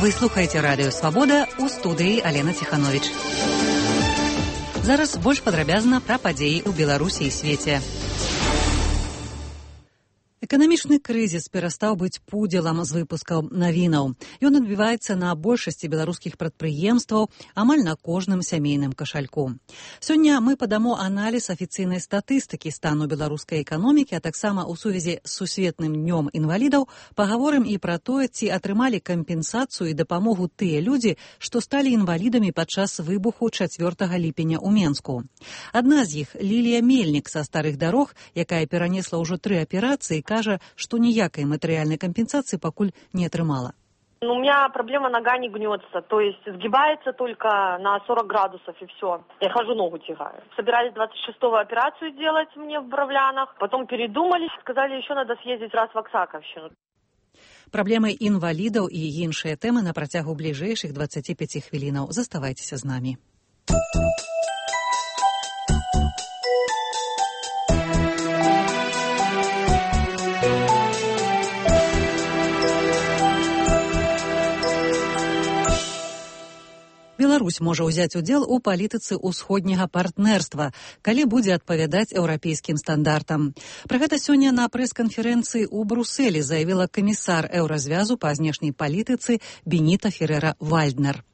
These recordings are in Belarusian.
Вы слухаеце радыё «Свабода», у студыі Алена Ціхановіч. Зараз больш падрабязна пра падзеі ў Беларусі і свеце. Эканамічны крызіс перастаў быць пудзелам з выпускаў навінаў. Ён адбіваецца на большасці беларускіх прадпрыемстваў, амаль на кожным сямейным кашальку. Сёння мы падамо аналіз афіцыйнай статыстыкі стану беларускай эканомікі, а таксама ў сувязі з сусветным днём інвалідаў пагаворым і пра тое, ці атрымалі кампенсацыю і дапамогу тыя людзі, што сталі інвалідамі падчас выбуху 4 ліпеня ў Менску. Адна з іх, Лілія Мельнік са старых дарог, якая перанесла ўжо 3 аперацыі, кажа, что никакой материальной компенсации покуль не отрымала. У меня проблема, нога не гнется, то есть сгибается только на 40 градусов и все. Я хожу, ногу тягаю. Собирались 26-го операцию делать мне в Бровлянах, потом передумали, сказали, еще надо съездить раз в Оксаковщину. Праблемы інвалідаў і іншыя тэмы на працягу бліжэйшых 25 хвілінаў. Заставайцеся з намі. Беларусь можа ўзяць удзел у палітыцы ўсходняга партнерства, калі будзе адпавядаць еўрапейскім стандартам. Пра гэта сёння на прэс-канферэнцыі ў Брусэлі заявіла камісар еўразвязу па знешняй палітыцы Беніта Ферера-Вальднер.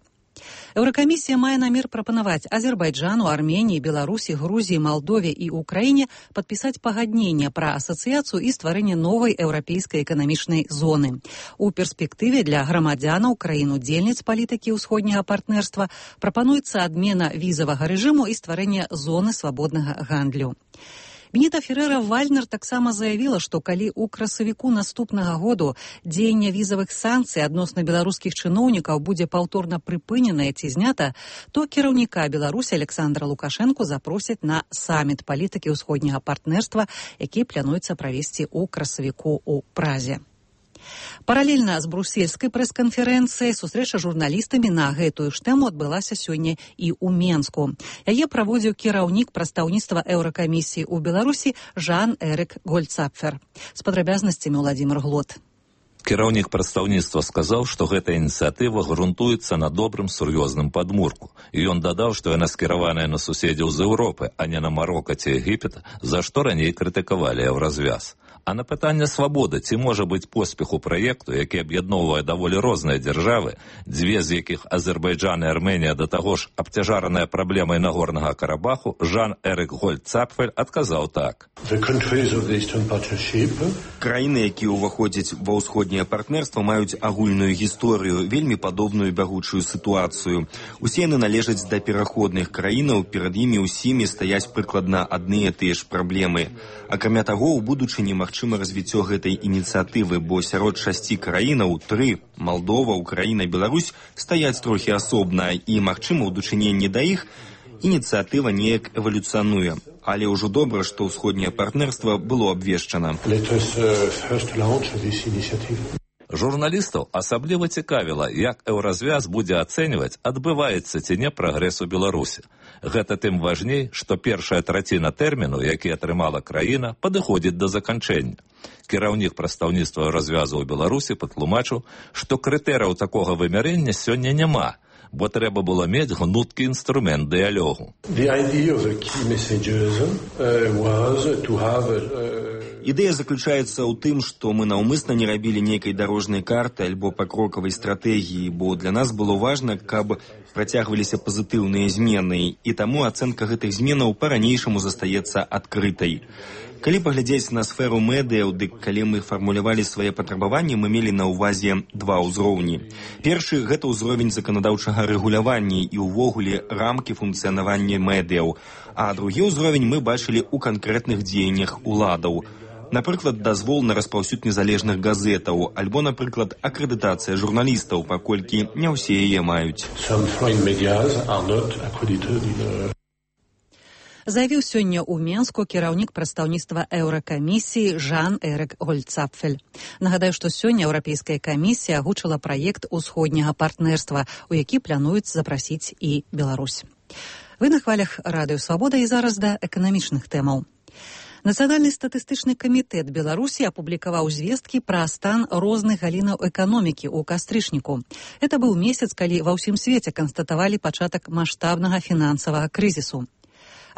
Еўракамісія мае намер прапанаваць Азербайджану, Арменіі, Беларусі, Грузіі, Малдове і Украіне падпісаць пагадненне пра асацыяцыю і стварэнне новай еўрапейскай эканамічнай зоны. У перспектыве для грамадзянаў краін-удзельніц палітыкі ўсходняга партнерства прапануецца адмена візавага рэжыму і стварэнне зоны свабоднага гандлю. Беніта Ферера-Вальднер таксама заявіла, што калі ў красавіку наступнага году дзеянне візавых санкцый адносна беларускіх чыноўнікаў будзе паўторна прыпыненае ці знята, то кіраўніка Беларусі Александра Лукашэнку запросяць на саміт палітыкі ўсходняга партнерства, які плануецца правесці ў красавіку ў Празе. Паралельна з брусельскай прэс-канферэнцыяй сустрэча журналістамі на гэтую ж тэму адбылася сёння і ў Менску. Яе праводзіў кіраўнік прадстаўніцтва Еўракамісіі ў Беларусі Жан-Эрик Гольцапфер. З падрабязнасцямі Владимир Глот. Кіраўнік прадстаўніцтва сказаў, што гэта ініцыятыва грунтуецца на добрым сур'ёзным падмурку. І ён дадаў, што яна скіраваная на суседзяў з Еўропы, а не на Марока ці Егіпет, за што раней крытыкавалі еўразвяз. А на пытанне свабоды, ці можа быць поспех у праекту, які аб'ядноўвае даволі розныя дзяржавы, дзве з якіх Азербайджан і Арменія да таго ж абцяжараныя праблемай Нагорнага Карабаху, Жан-Эрик Гольцапфель адказаў так. Краіны, якія ўваходзяць ва ўсходняе партнерства, маюць агульную гісторыю, вельмі падобную бягучую сітуацыю. Усе яны належаць да пераходных краінаў, перад імі ўсімі стаяць прыкладна адныя тыя ж праблемы. Акрамя таго, у будучыні магчыма развіццё гэтай ініцыятывы, бо сярод 6 краінаў 3 – Малдова, Украіна, Беларусь – стаяць трохі асобна, і, магчыма, у дачыненні да іх ініцыятыва неяк эвалюцыянуе. Але ўжо добра, што ўсходняе партнерства было абвешчана. Журналістаў асабліва цікавіла, як еўразвяз будзе ацэньваць, адбываецца ці не прагрэс у Беларусі. Гэта тым важней, што першая траціна тэрміну, які атрымала краіна, падыходзіць да заканчэння. Кіраўнік прадстаўніцтва еўразвязу ў Беларусі патлумачыў, што крытэрыяў такога вымярэння сёння няма, бо трэба было мець гнуткі інструмент дыялогу. Ідэя заключаецца ў тым, што мы наўмысна не рабілі нейкай дарожнай карты альбо пакрокавай стратэгіі, бо для нас было важна, каб працягваліся пазітыўныя змены, і таму ацэнка гэтых зменаў па-ранейшаму застаецца адкрытай. Калі паглядзець на сферу медыяў, дык калі мы фармулявалі свае патрабаванні, мы мелі на ўвазе 2 ўзроўні. Першы – гэта ўзровень заканадаўчага рэгулявання і ўвогуле рамкі функцыянавання медыяў, а другі ўзровень мы бачылі ў канкрэтных дзеяннях уладаў. Напрыклад, дазвол на распаўсюд незалежных газетаў, альбо, напрыклад, акрэдытацыя журналістаў, паколькі не ўсе яе маюць. Заявіў сёння ў Менску кіраўнік прадстаўніцтва Еўракамісіі Жан-Эрик Гольцапфель. Нагадаю, што сёння Еўрапейская камісія агучыла праект усходняга партнерства, у які плануюць запрасіць і Беларусь. Вы на хвалях радыё «Свабода» і зараз да эканамічных тэмаў. Нацыянальны статыстычны камітэт Беларусі апублікаваў звесткі пра стан розных галінаў эканомікі ў кастрычніку. Это быў месяц, калі ва ўсім свеце канстатавалі пачатак маштабнага фінансавага крызісу.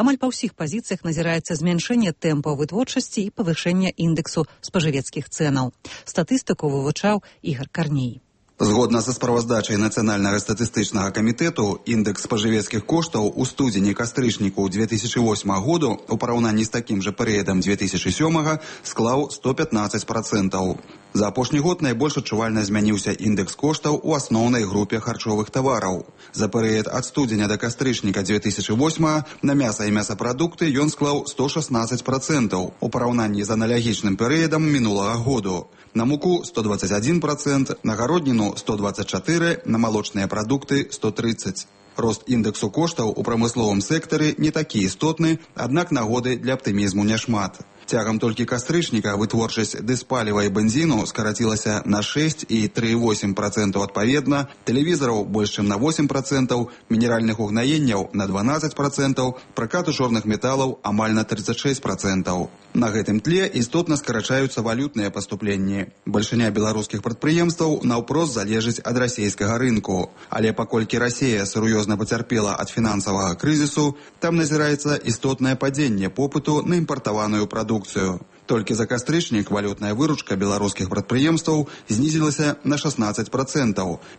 Амаль па ўсіх пазіцыях назіраецца змяншэнне тэмпаў вытворчасці і павышэння індэксу спажывецкіх цэнаў. Статыстыку вывучаў Ігар Карней. Згодна са справаздачай Нацыянальнага статыстычнага камітэту, індекс спажывецкіх коштаў у студзені-кастрычніку 2008 году у параўнанні з такім жа перыядам 2007 склаў 115%. За апошні год найбольш адчувальна змяніўся індекс коштаў у асноўнай групе харчовых тавараў. За перыяд ад студзеня да кастрычніка 2008 на мяса і мясапрадукты ён склаў 116% у параўнанні з аналагічным перыядам мінулага году. На муку 121%, на гародніну 124%, на малочныя прадукты 130%. Рост індексу коштаў у прамысловым сектары не такі істотны, аднак нагоды для аптымізму няшмат. Цягам толькі кастрычніка вытворчасць дызпаліва і бензіну скарацілася на 6 і 3,8% адпаведна, тэлевізараў больш чым на 8%, мінеральных угнаенняў на 12%, пракату чорных металаў амаль на 36%. На гэтым тле істотна скарачаюцца валютныя паступленні. Бальшыня беларускіх прадпрыемстваў наўпрост залежыць ад расійскага рынку. Але паколькі Расія сур'ёзна пацярпела ад фінансавага крызісу, там назіраецца істотнае падзенне попыту на імпартаваную прадукцыю. Толькі за кастрычнік валютная выручка беларускіх прадпрыемстваў знізілася на 16%.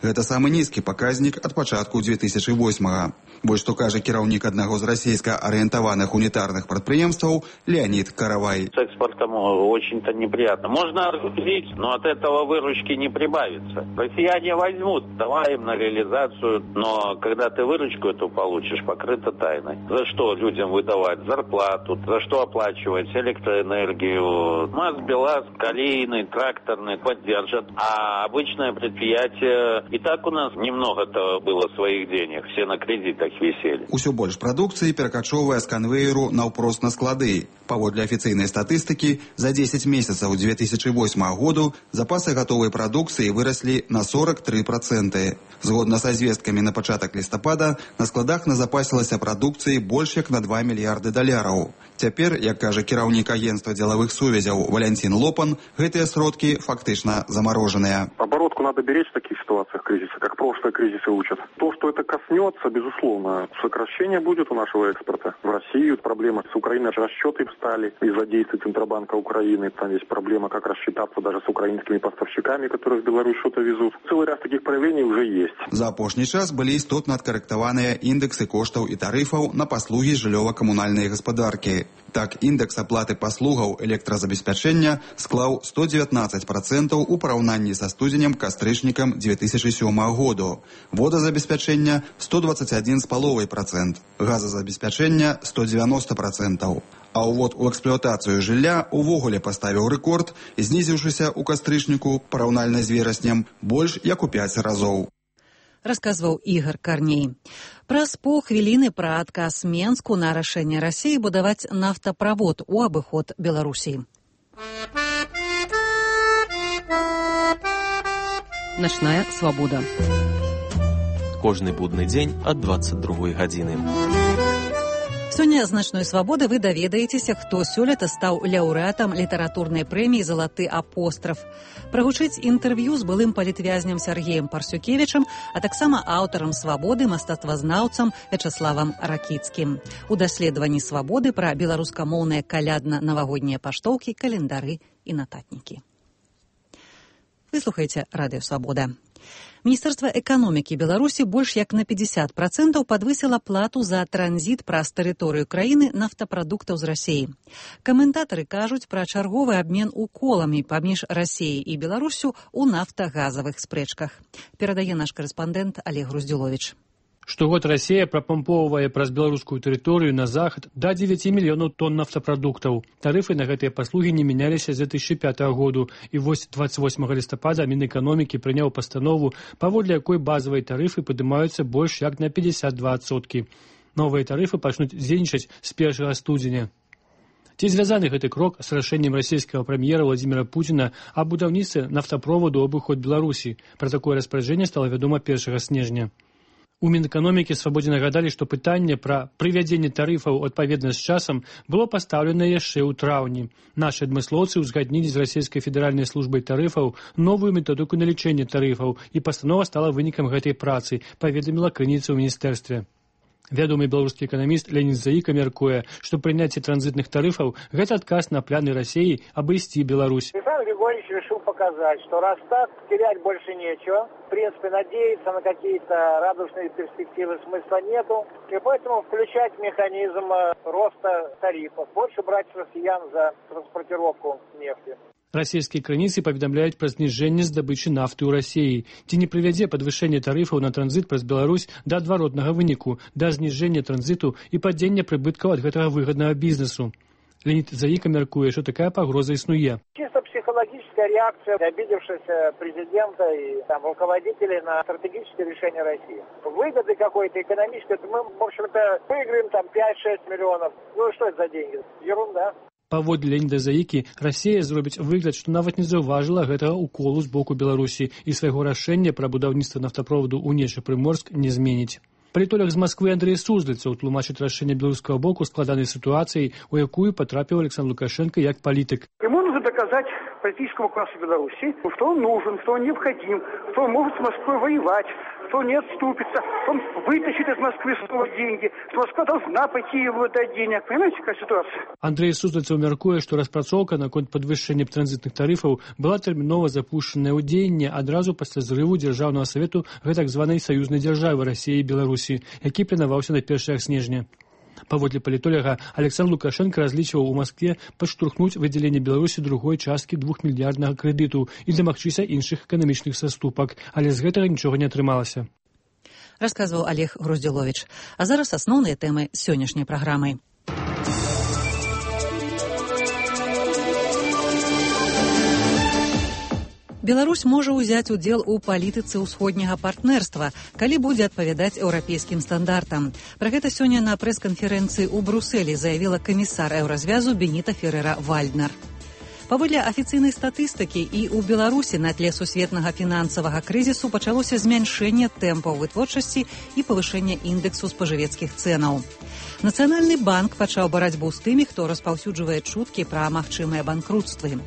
Гэта самы нізкі паказнік ад пачатку 2008-га. Вось што кажа кіраўнік аднаго з расійска-арыентаваных унітарных прадпрыемстваў Леонид Каравай. С экспортом очень-то неприятно. Можно разгрузить, но от этого выручки не прибавится. Россияне возьмут, давай им на реализацию, но когда ты выручку эту получишь, покрыто тайной. За что людям выдавать зарплату, за что оплачивать электроэнергию, МАЗ, БелАЗ, колейный, тракторный поддержат, а обычное предприятие и так у нас немного-то было своих денег, все на кредитах висели. Усё больш прадукцыі перакачоўвае з канвееру наўпрост на склады. Паводле афіцыйнай статыстыкі, за 10 месяцаў 2008 году запасы гатовай прадукцыі выраслі на 43%. Згодна са звесткамі на пачатак лістапада, на складах назапасілася прадукцыі больш як на $2 мільярды. Цяпер, як кажа кіраўнік агентства дзелавых сувязяў Валентин Лопан, гэтыя сродкі фактычна замороженыя. Оборотку надо беречь в таких ситуациях кризиса, как прошлые кризисы учат. То, что это коснется, безусловно, сокращение будет у нашего экспорта в Россию. Проблема с Украиной, расчеты встали из-за действий Центробанка Украины. Там есть проблема, как рассчитаться даже с украинскими поставщиками, которые в Беларусь что-то везут. Целый ряд таких проявлений уже есть. За апошні час былі істотна адкарэктаваныя індэксы коштаў і тарыфаў на паслугі жыллёва-камунальнай гаспадаркі. Так, індекс аплаты паслугаў электразабеспячэння склаў 119% у параўнанні са студзенем-кастрычнікам 2007 году. Водазабеспячэння 121,5%, газазабеспячэння 190%. А ўвод у эксплуатацыю жылля увогуле паставіў рэкорд, знізіўшыся ў кастрычніку параўнальна з вераснем больш як у 5 разоў. Расказваў Ігар Карней. Праз паўхвіліны пра адказ Менску на рашэнне Расіі будаваць нафтаправод у абыход Беларусі. Начная свабода. Кожны будны дзень ад 22 гадзіны. Сёння з «Начной свабоды» вы даведаецеся, хто сёлета стаў лаўрэатам літаратурнай прэміі «Залаты апостраф». Прагучыць інтэрв'ю з былым палітвязням Сергеем Парсюкевічам, а таксама аўтарам «Свабоды» мастацтвазнаўцам Вячаславам Ракіцкім. У даследаванні «Свабоды» пра беларускамоўныя калядна-навагоднія паштоўкі, календары і нататнікі. Вы слухаеце радыё «Свабода». Міністэрства эканомікі Беларусі больш як на 50% падвысіла плату за транзіт праз тэрыторыю краіны нафтапрадуктаў з Расіі. Каментатары кажуць пра чарговы абмен уколамі паміж Расіяй і Беларусю ў нафтагазавых спрэчках. Перадае наш карэспандэнт Олег Груздзюловіч. Штогод Расія прапампоўвае праз беларускую тэрыторыю на захад да 9 мільёнаў тонн нафтапрадуктаў. Тарыфы на гэтыя паслугі не мяняліся з 2005 году, і вось 28 лістапада Мінэканомікі прыняў пастанову, паводле якой базавыя тарыфы падымаюцца больш як на 52%. Новыя тарыфы пачнуць дзейнічаць з 1 студзеня. Ці звязаны гэты крок з рашэннем расійскага прэм'ера Владзіміра Пуціна аб будаўніцтве нафтаправоду ў абыход Беларусі? Пра такое распараджэнне стала вядома 1 снежня. У Мінэканомікі Свабодзе нагадалі, што пытанне пра прывядзенне тарыфаў адпаведна з часам было пастаўлена яшчэ ў траўні. Нашы адмыслоўцы ўзгаднілі з расійскай федэральнай службай тарыфаў новую методыку налічэння тарыфаў, і пастанова стала вынікам гэтай працы, паведаміла крыніца ў міністэрстве. Вядомы беларускі эканаміст Леонид Заіка мяркуе, што прыняцце транзітных тарыфаў – гэта адказ на планы России обойсти Беларусь. Александр Григорьевич решил показать, что раз так, терять больше нечего. В принципе, надеяться на какие-то радужные перспективы смысла нету. И поэтому включать механизм роста тарифов. Больше брать с россиян за транспортировку нефти. Расійскія крыніцы паведамляюць пра зніжэнне здабычы нафты ў Расіі. Ці не прывядзе падвышэнне тарыфаў на транзіт праз Беларусь да адваротнага выніку, да зніжэння транзіту і падзення прыбыткаў ад гэтага выгаднага бізнесу. Леонид Заіка мяркуе, што такая пагроза існуе. Чисто психологическая реакция обидевшегося президента и руководителей на стратегические решения России. Выгоды какой-то экономической, мы, в общем-то, выиграем 5-6 миллионов. Ну что это за деньги? Ерунда. Паводле Леоніда Заікі, Расія зробіць выгляд, што нават не заўважыла гэтага уколу з боку Беларусі і свайго рашэння пра будаўніцтва нафтаправоду ў Нечы-Прыморск не зменіць. Палітолог з Масквы Андрей Суздальцаў тлумачыць рашэнне беларускага боку складанай сітуацыяй, у якую потрапіў Александр Лукашенко як палітык. Ему нужно доказать политическому классу Беларуси, что он нужен, что он необходим, что он может с Москвой воевать, что он не отступится, он вытащит из Москвы снова деньги, что Москва должна пойти ему дать денег. Понимаете, какая ситуация? Андрей Суздальцаў мяркуе, што распрацоўка наконт падвышэння транзітных тарыфаў была тэрмінова запушчаная ў дзеянне адразу пасля зрыву дзяржаўнага савету гэтак званай саюзнай дзяржавы Расіі і Беларусі, які планаваўся на 1 снежня. Паводле палітолага, Александр Лукашенко разлічваў у Маскве падштурхнуць выдзяленне Беларусі другой часткі 2-мільярднага крэдыту і дамагчыся іншых эканамічных саступак, але з гэтага нічога не атрымалася. Расказваў Олег Груздзіловіч. А зараз асноўныя тэмы сённяшняй праграмы. Беларусь можа ўзяць удзел у палітыцы ўсходняга партнерства, калі будзе адпавядаць еўрапейскім стандартам. Пра гэта сёння на прэс-канферэнцыі ў Брусэлі заявіла камісар еўразвязу Беніта Ферера-Вальднер. Паводле афіцыйнай статыстыкі і ў Беларусі на тле сусветнага фінансавага крызісу пачалося змяншэнне тэмпаў вытворчасці і павышэнне індэксу спажывецкіх цэнаў. Нацыянальны банк пачаў барацьбу з тымі, хто распаўсюджвае чуткі пра магчымыя банкрутствы.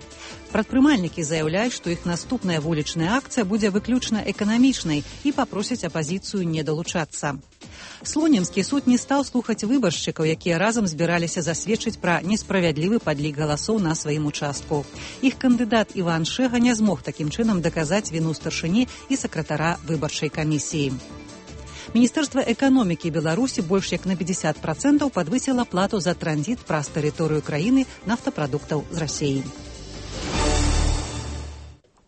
Прадпрымальнікі заяўляюць, што іх наступная вулічная акцыя будзе выключна эканамічнай і папросяць апазіцыю не далучацца. Слонімскі суд не стаў слухаць выбаршчыкаў, якія разам збіраліся засведчыць пра несправядлівы падлік галасоў на сваім участку. Іх кандыдат Іван Шэга не змог такім чынам даказаць віну старшыні і сакратара выбарчай камісіі. Міністэрства эканомікі Беларусі больш як на 50% падвысіла плату за транзіт праз тэрыторыю краіны нафтапрадуктаў з Расіі.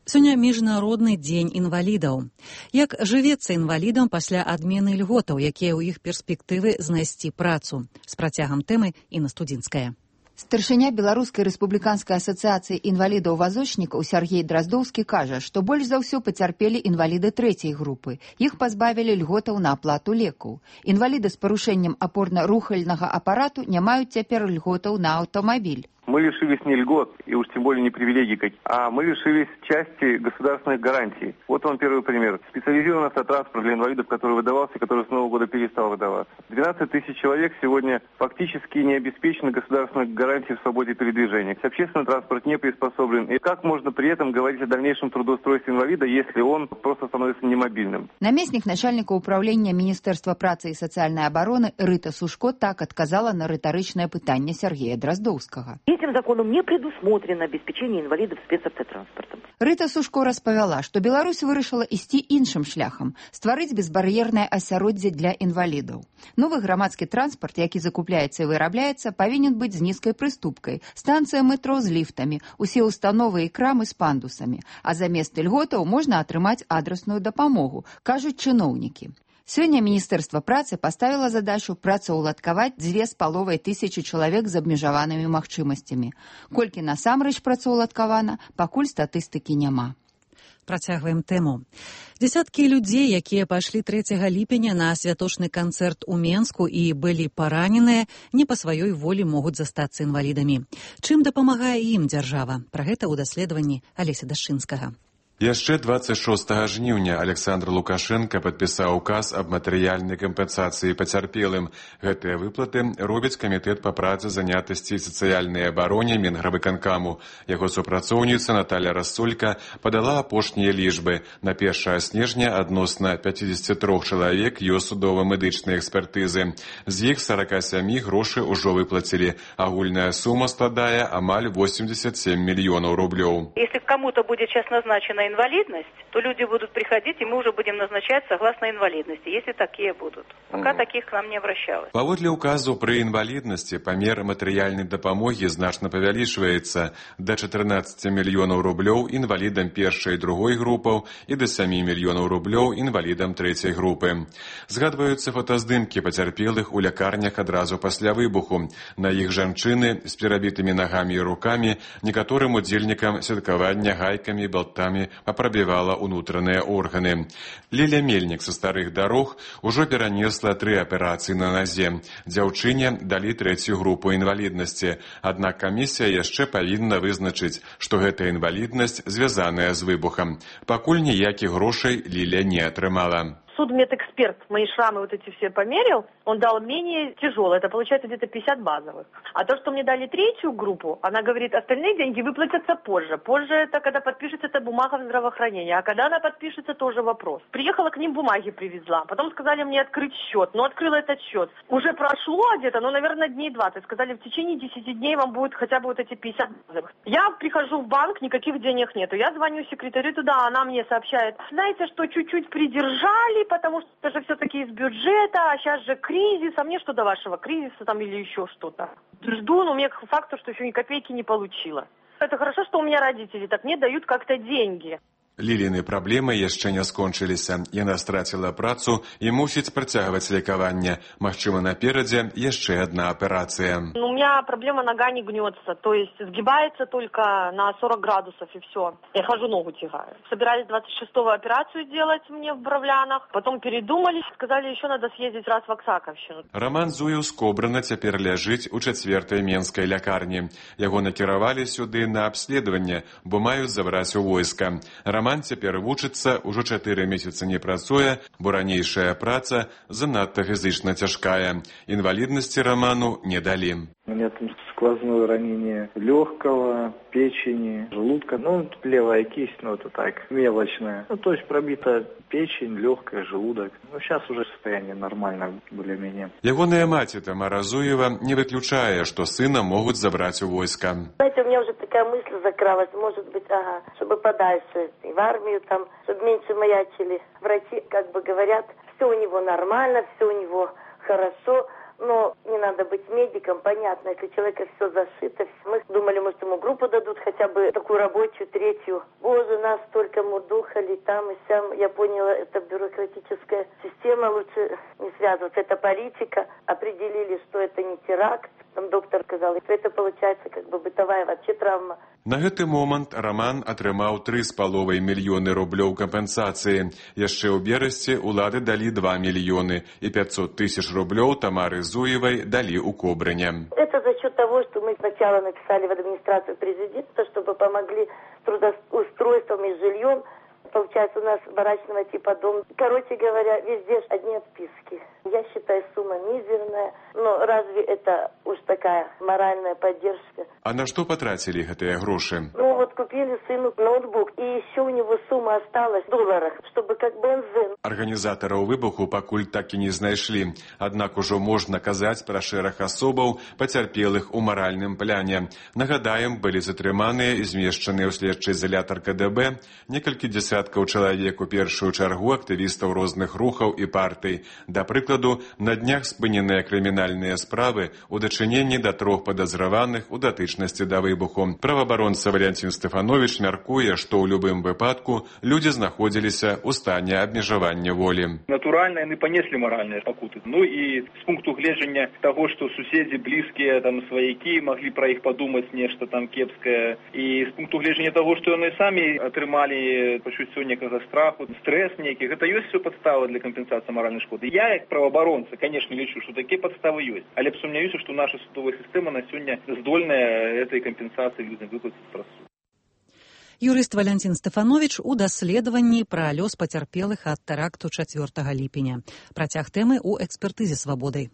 Сёння міжнародны дзень інвалідаў. Як жывецца інвалідам пасля адмены льготаў, якія ў іх перспектывы знайсці працу? З працягам тэмы Інна Студзінская. Старшыня Беларускай рэспубліканскай асацыяцыі інвалідаў-вазочнікаў Сяргей Драздоўскі кажа, што больш за ўсё пацярпелі інваліды трэцяй групы. Іх пазбавілі льготаў на аплату лекаў. Інваліды з парушэннем апорна-рухальнага апарату не маюць цяпер льготаў на аўтамабіль. Мы лишились не льгот, и уж тем более не привилегий, а мы лишились части государственных гарантий. Вот вам первый пример. Специализированный автотранспорт для инвалидов, который выдавался, который с Нового года перестал выдаваться. 12 тысяч человек сегодня фактически не обеспечены государственной гарантией в свободе передвижения. Общественный транспорт не приспособлен. И как можно при этом говорить о дальнейшем трудоустройстве инвалида, если он просто становится немобильным? Наместник начальника управления Министерства працы и социальной обороны Рыта Сушко так отказала на рыторычное пытанне Сергея Дроздоўскага. Этим законом не предусмотрено обеспечение инвалидов спецавтотранспортом. Рыта Сушко распавяла, што Беларусь вырашыла ісці іншым шляхам, стварыць безбар'ернае асяроддзе для інвалідаў. Новы грамадскі транспарт, які закупляецца і вырабляецца, павінен быць з нізкай прыступкай, станцыя метро з ліфтамі, усе установы і крамы з пандусамі, а замест льготаў можна атрымаць адрасную дапамогу, кажуць чыноўнікі. Сёння Міністэрства працы паставіла задачу працаўладкаваць 2500 чалавек з абмежаванымі магчымасцямі. Колькі насамрэч працаўладкавана, пакуль статыстыкі няма. Працягваем тэму. Дзесяткі людзей, якія пайшлі 3 ліпеня на святочны канцэрт у Менску і былі параненыя, не па сваёй волі могуць застацца інвалідамі. Чым дапамагае ім дзяржава? Пра гэта ў даследаванні Алеся Дашчынскага. Яшчэ 26 жніўня Александр Лукашенко падпісаў указ аб матэрыяльнай кампенсацыі пацярпелым. Гэтыя выплаты робіць камітэт па працы, занятасці і сацыяльнай абароне Мінгравыканкаму. Яго супрацоўніца Наталья Рассолька падала апошнія лічбы. На 1 снежня адносна 53 чалавек ёсць судова-медычныя экспертызы. З іх 47 грошы ўжо выплацілі. Агульная сума складае амаль 87 мільёнаў рублёў. Если кому-то будет сейчас назначена инвалидность, то люди будут приходить, и мы уже будем назначать согласно инвалидности, если такие будут. Пока таких к нам не обращалось. Паводле указу пры інваліднасці памер матэрыяльнай дапамогі значна павялічваецца да 14 мільёнаў рублёў інвалідам першай і другой групаў і да 7 мільёнаў рублёў інвалідам трэцяй групы. Згадваюцца фотаздымкі пацярпелых у лякарнях адразу пасля выбуху. На іх жанчыны з перабітымі нагамі і рукамі, некаторым удзельнікам святкавання гайкамі і балтамі папрабівала унутраныя органы. Ліля Мельнік са старых дарог ужо перанесла 3 аперацыі на назе. Дзяўчыне далі 3-ю групу інваліднасці. Аднак камісія яшчэ павінна вызначыць, што гэта інваліднасць звязаная з выбухам. Пакуль ніякіх грошай Ліля не атрымала. Судмедэксперт мои шрамы вот эти все померил, он дал менее тяжелое, это получается где-то 50 базовых. А то, что мне дали 3-ю группу, она говорит, остальные деньги выплатятся позже. Позже это когда подпишется эта бумага в здравоохранении, а когда она подпишется, тоже вопрос. Приехала к ним, бумаги привезла, потом сказали мне открыть счет, но открыла этот счет. Уже прошло где-то, наверное, дней 20. Сказали, в течение 10 дней вам будет хотя бы вот эти 50 базовых. Я прихожу в банк, никаких денег нету. Я звоню секретарю туда, она мне сообщает, знаете, что чуть-чуть придержали, потому что это же все-таки из бюджета, а сейчас же кризис, а мне что до вашего кризиса там или еще что-то. Жду, но мне к факту, что еще ни копейки не получила. Это хорошо, что у меня родители так мне дают как-то деньги. Ліліны праблемы яшчэ не скончыліся. Яна страціла працу і мусіць працягваць лекаванне. Магчыма, наперадзе яшчэ одна аперацыя. У меня проблема, нога не гнется, то есть сгибается только на 40 градусов и все. Я хожу, ногу тягаю. Собирались 26-го операцию делать мне в Бровлянах, потом передумали, сказали, еще надо съездить раз в Оксаковщину. Роман Зуеў з Кобрына цяпер ляжыць у 4-й менскай лякарні. Яго накіравалі сюды на абследаванне, бо маюць забраць у войска. Роман цяпер вучыцца, ўжо 4 месяцы не працуе, бо ранейшая праца занадта фізычна цяжкая. Інваліднасці Роману не далі. У меня там сквозное ранение легкого, печени, желудка. Левая кисть, это так, мелочная. То есть пробита печень, легкая, желудок. Сейчас уже состояние нормально, более-менее. Ягоная маці Тамара Зуева не выключае, что сына могут забрать у войска. Знаете, у меня уже такая мысль закралась, может быть, чтобы подальше, и в армию там, чтобы меньше маячили. Врачи как бы говорят, все у него нормально, все у него хорошо. Но не надо быть медиком, понятно, если у человека все зашито. Мы думали, может, ему группу дадут, хотя бы такую рабочую, 3-ю. Боже, нас столько мудухали там и сям. Я поняла, это бюрократическая система, лучше не связываться. Это политика. Определили, что это не теракт. Там доктор сказал, что это получается как бы бытовая вообще травма. На гэты момант Роман атрымаў 3,5 мільёны рублёў кампенсацыі. Яшчэ ў берасці улады далі 2 мільёны і 500 тысяч рублёў Тамары Зуевой дали у Кобрыня. Это за счет того, что мы сначала написали в администрацию президента, чтобы помогли с трудоустройством и жильем. Получается, у нас барачного типа дом. Короче говоря, везде одни отписки. Я считаю, сумма мизерная. Но разве это уж такая моральная поддержка? А на что потратили гэтыя грошы? Купили сыну ноутбук. И еще у него сумма осталась в долларах, чтобы как бензин. Арганізатараў выбуху пакуль так і не знайшлі. Аднак ужо можна казаць пра шэраг асобаў, пацярпелых у маральным пляне. Нагадаем, былі затрыманыя і змешчаныя ў следчы изолятор КДБ некалькі дзесяткаў чалавек, у першую чаргу актывістаў розных рухаў і партый. Да прыкладу, на днях спыненыя крымінальныя справы у дачыненні да 3 падазраваных у датычнасці да выбуху. Праваабаронца Валентин Стефанович мяркуе, што ў любым выпадку людзі знаходзіліся ў стане абмежавання волі. Натуральна, яны панеслі маральныя пакуты. І з пункту гледжання таго, што суседзі, блізкія, сваякі маглі пра іх падумаць нешта там кепскае. І з пункту гледжання таго, што яны самі атрымалі пачуццё некага страху, стрэс нейкі, гэта ёсць все падставы для кампенсацыі маральнай шкоды. Я, як праваабаронца, конечно, лічу, што такія падставы ёсць. Але сумняюся, што наша судовая сістэма на сёння здольная этой кампенсацыі людзям выплаціць праз суд. Юрыст Валянцін Стэфановіч у даследаванні пра лёс пацярпелых ад тэракту 4 ліпеня. Працяг тэмы ў экспертызе «Свабоды».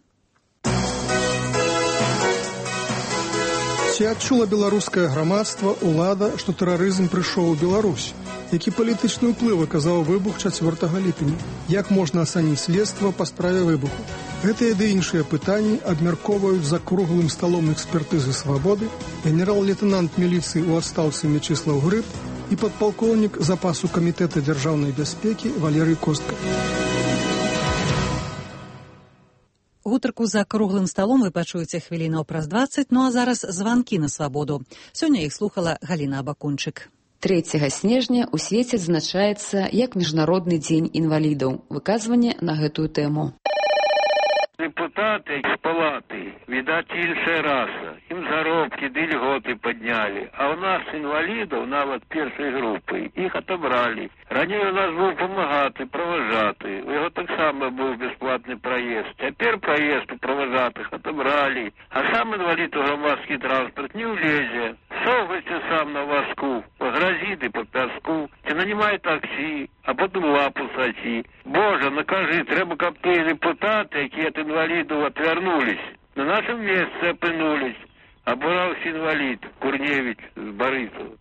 Ці адчула беларускае грамадства, улада, што тэрарызм прыйшоў у Беларусь? Які палітычны ўплыў аказаў выбух 4 ліпеня? Як можна ацаніць следства па справе выбуху? Гэтыя ды іншыя пытанні абмяркоўваюць за круглым сталом экспертызы «Свабоды» генерал-лейтенант міліцыі ў адстаўцы Мячыслаў Грыб і падпалкоўнік запасу камітэта дзяржаўнай бяспекі Валерый Костка. Гутарку за круглым сталом вы пачуеце хвілінаў праз 20, ну а зараз званкі на «Свабоду». Сёння іх слухала Галіна Абакунчык. 3 снежня ў свеце адзначаецца як Міжнародны дзень інвалідаў. Выказванне на гэтую тэму. Депутаты з палаты, відаць, іншая раса. Ім заробкі ды льготы паднялі. А ў нас інвалідаў, нават першай групы, іх атобралі. Раней у нас быў памагаты, праважаты. У яго таксама быў бясплатны праезд. Цяпер праезд у праважатых атобралі. А сам інвалід у грамадскі транспарт не ўлезе. Совайся сам на вазку, па гразі ды па пяску. Ці нанімай таксі, а потым лапу сачі. Божа, накажы, трэба, каб тыя депутаты, якія ад інвалідаў отвярнулись, на нашем месцы апынулись. Абураўся інвалід Курневіч з Барысава.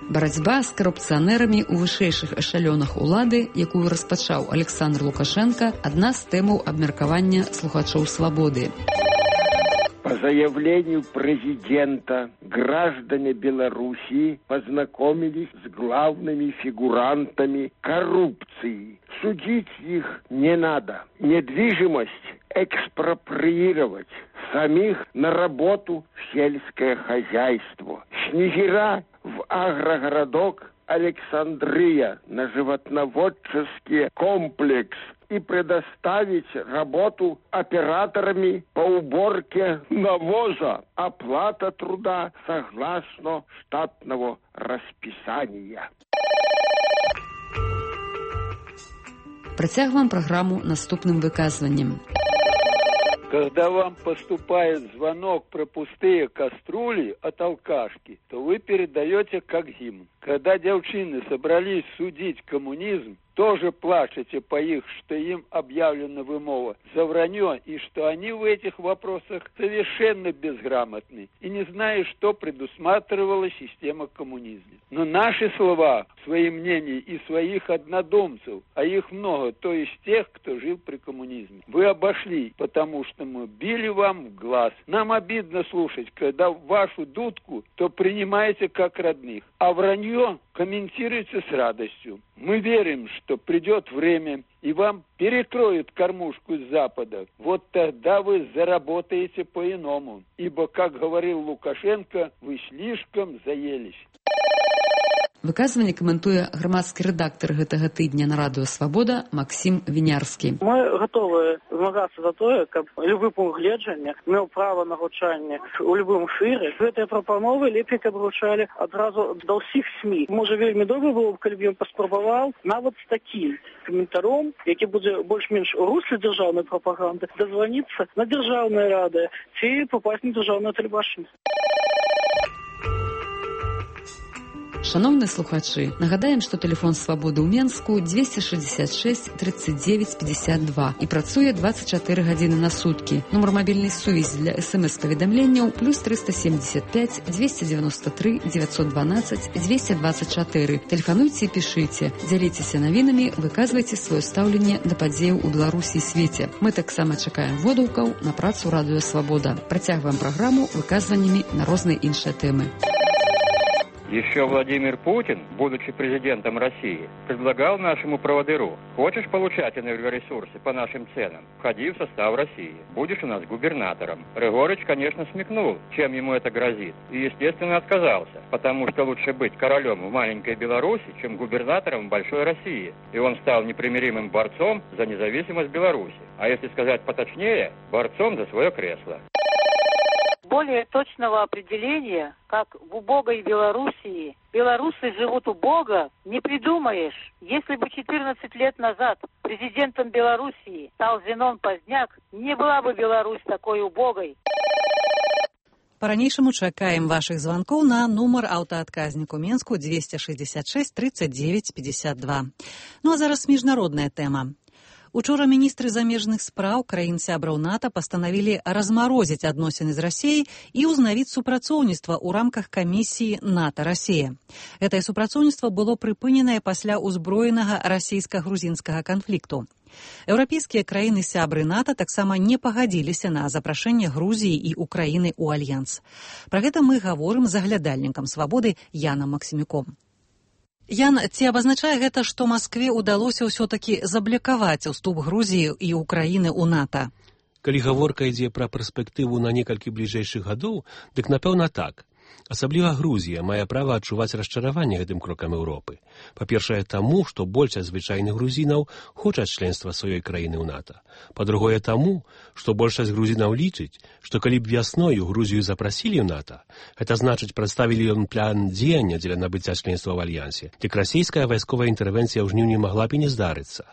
Барацьба з карупцыянерамі ў вышэйшых эшалёнах улады, якую распачаў Александр Лукашенко, адна з тэмаў абмеркавання слухачоў «Свободы». По заявлению президента, граждане Беларуси познакомились с главными фигурантами коррупции. Судить их не надо. Недвижимость экспроприировать. Самих на работу в сельское хозяйство. Снегира в агрогородок Александрия на животноводческий комплекс и предоставить работу операторами по уборке навоза. Оплата труда согласно штатного расписания. Працягваем праграму наступным выказваннем. Когда вам поступает звонок про пустые кастрюли от алкашки, то вы передаете как гимн. Когда девчины собрались судить коммунизм, тоже плачете по их, что им объявлена вымова за вранье, и что они в этих вопросах совершенно безграмотны и не знают, что предусматривала система коммунизма. Но наши слова, свои мнения и своих однодумцев, а их много, то есть тех, кто жил при коммунизме, вы обошли, потому что мы били вам в глаз. Нам обидно слушать, когда вашу дудку то принимаете как родных, а вранье комментируете с радостью. Мы верим, что придет время, и вам перекроют кормушку с Запада. Вот тогда вы заработаете по-иному. Ибо, как говорил Лукашенко, вы слишком заелись. Выказванне каментуе грамадскі рэдактар гэтага тыдня на радыё «Свабода» Максім Вінярскі. Мы гатовы змагацца за тое, каб любы пункт гледжання меў права на гучанне ў любым эфіры. Гэтыя прапановы лепей, каб гучалі адразу да ўсіх СМІ. Можа, вельмі добра было б, калі б ён паспрабаваў нават з такім каментаром, які будзе больш-менш у русле дзяржаўнай прапаганды, дазваніцца на дзяржаўнае радыё ці папасць на дзяржаўнае тэлебачанне. Шановныя слухачы, нагадаем, што тэлефон «Свабоды» ў Менску 266 39 52 і працуе 24 гадзіны на суткі. Нумар мабільнай сувязі для СМС-паведамленняў +375 293 912 224. Тэлефануйце і пішыце, дзяліцеся навінамі, выказвайце сваё стаўленне да падзеяў у Беларусі і свеце. Мы таксама чакаем водгукаў на працу радыё «Свабода». Працягваем праграму выказваннямі на розныя іншыя тэмы. Еще Владимир Путин, будучи президентом России, предлагал нашему проводыру: хочешь получать энергоресурсы по нашим ценам? Входи в состав России. Будешь у нас губернатором. Рыгорыч, конечно, смекнул, чем ему это грозит. И, естественно, отказался, потому что лучше быть королем в маленькой Беларуси, чем губернатором в большой России. И он стал непримиримым борцом за независимость Беларуси. А если сказать поточнее, борцом за свое кресло. Более точного определения, как в убогой Белоруссии белорусы живут убого, не придумаешь. Если бы 14 лет назад президентом Белоруссии стал Зенон Поздняк, не была бы Беларусь такой убогой. По-ранейшаму чакаем ваших звонков на нумар аўтаадказніку Менску 266 39 52. Ну а зараз міжнародная тэма. Учора міністры замежных спраў краін-сябраў НАТО пастанавілі размарозіць адносіны з Расіяй і ўзнавіць супрацоўніцтва ў рамках камісіі НАТО-Расія. Гэтае супрацоўніцтва было прыпыненае пасля ўзброенага расійска-грузінскага канфлікту. Еўрапейскія краіны-сябры НАТО таксама не пагадзіліся на запрашэнне Грузіі і Украіны ў альянс. Пра гэта мы гаворым з аглядальнікам «Свабоды» Янам Максімюком. Ян, ці абазначае гэта, што Маскве ўдалося ўсё-такі заблакаваць уступ Грузіі і Украіны ў НАТО? Калі гаворка ідзе пра перспектыву на некалькі бліжэйшых гадоў, дык напэўна так. Асабліва Грузія мае права адчуваць расчараванне гэтым крокам Еўропы. Па-першае, таму, што большасць звычайных грузінаў хочуць членства сваёй краіны ў НАТО. Па-другое, таму, што большасць грузінаў лічыць, што калі б вясною Грузію запрасілі ў НАТО, гэта значыць прадставілі ён план дзеяння дзеля набыцця членства ў альянсе, дык расійская вайсковая інтэрвенцыя ў жніўні магла б і не здарыцца.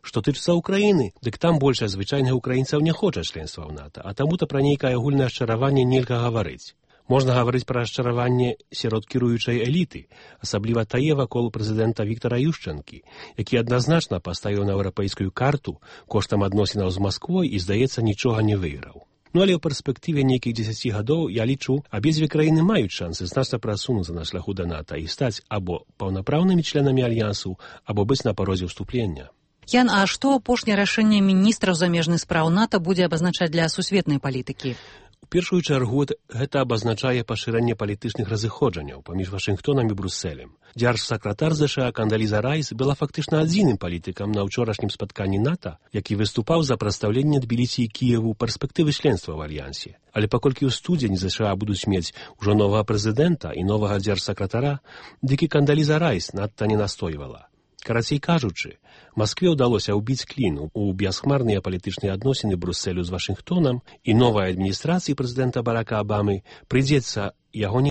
Што тычыцца Украіны, дык там большасць звычайных украінцаў не хоча членства ў НАТО, а таму-то пра нейкае агульнае расчараванне нельга гаварыць. Можна гаварыць пра расчараванне сярод кіруючай эліты, асабліва тае вакол прэзідэнта Віктара Юшчэнкі, які адназначна паставіў на еўрапейскую карту коштам адносінаў з Масквой і, здаецца, нічога не выйграў. Ну але ў перспектыве нейкіх 10 гадоў, я лічу, абедзве краіны маюць шансы значна прасунуцца на шляху да НАТО і стаць або паўнапраўнымі членамі альянсу, або быць на парозе ўступлення. Ян, а што апошняе рашэнне міністраў замежных спраў НАТО будзе абазначаць для сусветнай палітыкі? У першую чаргу гэта абазначае пашырэнне палітычных разыходжанняў паміж Вашынгтонам і Брусэлем. Дзяржсакратар ЗША Кандаліза Райс была фактычна адзіным палітыкам на ўчорашнім спатканні НАТО, які выступаў за прадстаўленне Тбілісі і Кіеву перспектывы членства ў альянсе. Але паколькі ў студзені ЗША будуць мець ужо новага прэзідэнта і новага дзяржсакратара, дык і Кандаліза Райс надта не настойвала. Карацей кажучы, Маскве ўдалося ўбіць клін у бясхмарныя палітычныя адносіны Брусэлю з Вашынгтонам, і новай адміністрацыі прэзідэнта Барака Абамы прыйдзецца яго не